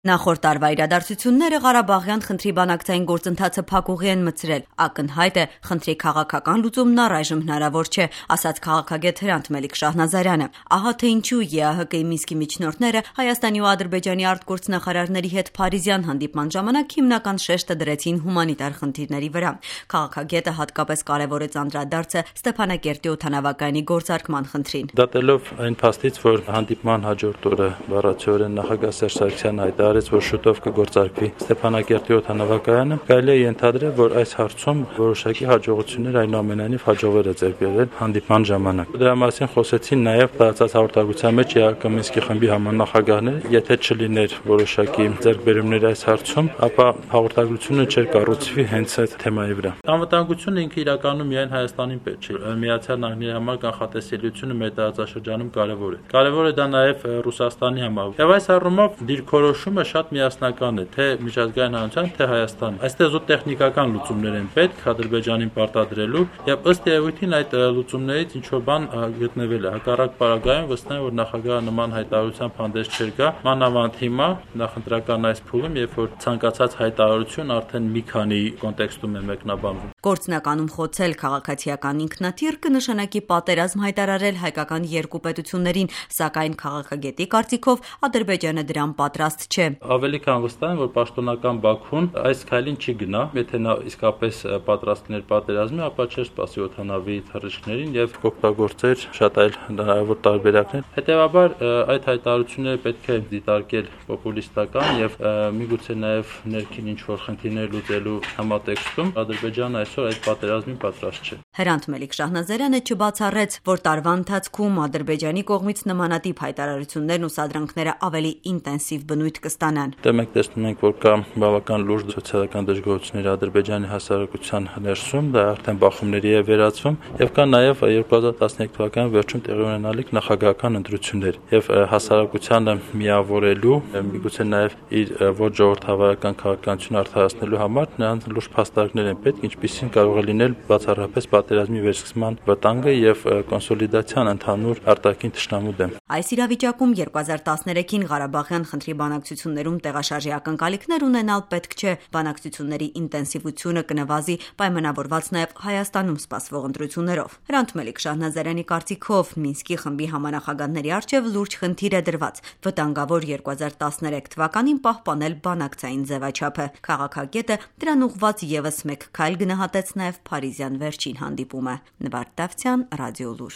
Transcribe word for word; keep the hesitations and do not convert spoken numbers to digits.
Նախորդ տարվա իրադարձությունները Ղարաբաղյան խնդրի բանակցային գործընթացը փակուղի են մտցրել։ Ակնհայտ է, խնդրի քաղաքական լուծումն առայժմ հնարավոր չէ, ասաց քաղաքագետ Հրանտ Մելիք-Շահնազարյանը։ Ահա թե ինչու ԵԱՀԿ-ի Մինսկի միջնորդները Հայաստանի ու Ադրբեջանի արտգործնախարարների հետ Փարիզյան հանդիպման ժամանակ հիմնական շեշտը դրեցին հումանիտար խնդիրների վրա։ Քաղաքագետը հատկապես կարևորեց անդրադարձը Ստեփանակերտի օդանավակայանի գործարկման խնդրին։ Դատելով այն փաստից, որ հանդիպման հաջորդ օրը բառացիորեն նախագահ Սերժ Սարգսյանը հայտարարեց, որ շուտով կգործարկվի Ստեփանակերտի օդանավակայանը, կարելի է ենթադրել, որ այս հարցում որոշակի հաջողություններ այնուամենայնիվ հաջողվել է ձեռք բերել հանդիպման ժամանակ։ Դրա մասին խոսեցին նաև տարածած հաղորդակցության մեջ ԵԱՀԿ Մինսկի խմբի համանախագահները, եթե չլիներ որոշակի ձեռքբերումներ այս հարցում, ապա հաղորդակցությունը չէր կառուցվի հենց այդ թեմայի վրա։ Անվտանգությունը ինքը իրականում միայն Հայաստանին պետք չէ, Միացյալ Նահանգների համար կանխատեսելիությունը մեր տարածաշրջանում կարևոր է։ Կարևոր է դա նաև Ռուսաստանի համար։ Եվ այս առումով դիրքորոշումը շատ միասնական է, թե միջազգային հանրության, թե Հայաստանի։ Այստեղ զուտ տեխնիկական լուծումներ են պետք Ադրբեջանին պարտադրելու, եւ ըստ երևույթին այդ լուծումներից ինչ որ բան գտնվել է։ Հակառակ պարագայում վստահ եմ, որ նախագահը նման հայտարարությամբ հանդես չէր գա, մանավանդ հիմա նախընտրական այս փուլում, երբ որ ցանկացած հայտարարություն արդեն մի քանի կոնտեքստում է մեկնաբանվում։ Գործնականում խոցել քաղաքացիական ինքնաթիռ կնշանակի պատերազմ հայտարարել հայկական երկու պետություններին, սակայն քաղաքագետի կարծիքով Ադրբեջանը դրան պատրաստ չէ։ Ավելի քան վստահ եմ, որ պաշտոնական Բաքուն այս քայլին չի գնա, եթե նա իսկապես պատրաստ լիներ պատերազմի, ապա չէր սպասի օդանավի թռիչքներին եւ կօգտագործեր շատ այլ հնարավոր տարբերակներ։ Հետևաբար այդ հայտարարությունները պետք է դիտարկել պոպուլիստական եւ միգուցե նաեւ ներքին ինչ որ խնդիրներ լուծելու համատեքստում Ադրբեջանը այսօր այդ պատերազմին պատրաստ չէ։ Հրանտ Մելիք-Շահնազարյանը չբացառեց, որ տարվա ընթացքում Ադրբեջանի կողմից նմանատիպ հայտարարություններն ու սադրանքները ավելի ինտենսիվ բնույթ կստանան։ Դե մենք տեսնում ենք, որ կա բավական լուրջ սոցիալական դժգոհություններ Ադրբեջանի հասարակության ներսում, դա արդեն բախումների է վերածվում, եւ կա նաեւ երկու հազար տասներեք թվականի վերջում տեղի ունենալիք նախագահական ընտրություններ եւ հասարակությանը միավորելու, միգուցե նաեւ իր ոչ ժողովրդավարական քաղաքականությունը արդարացնելու համար նրանց լուրջ փաստարկներ են պետք, ինչպիսին կարող է լինել բացառապես պատերազմի վերսկսման վտանգը եւ կոնսոլիդացիան ընդհանուր արտաքին թշնամու դեմ։ Այս իրավիճակում երկու հազար տասներեքին Ղարաբաղյան խնդրի բանակցություններում տեղաշարժի ակնկալիքներ ունենալ պետք չէ։ Բանակցությունների ինտենսիվությունը կնվազի պայմանավորված նաև Հայաստանում սպասվող ընտրություններով։ Հրանտ Մելիք-Շահնազարյանի կարծիքով Մինսկի խմբի համանախագահների առջև լուրջ խնդիր է դրված։ Վտանգավոր երկու հազար տասներեք թվականին պահպանել բանակցային ձևաչափը։ Քաղաքագետը դրան ուղղված եւս մեկ քայլ գնահատեց նաև Փարիզյան վերջին հանդիպումը։ Նվարդ Դավթյան, Ռադիոլուր։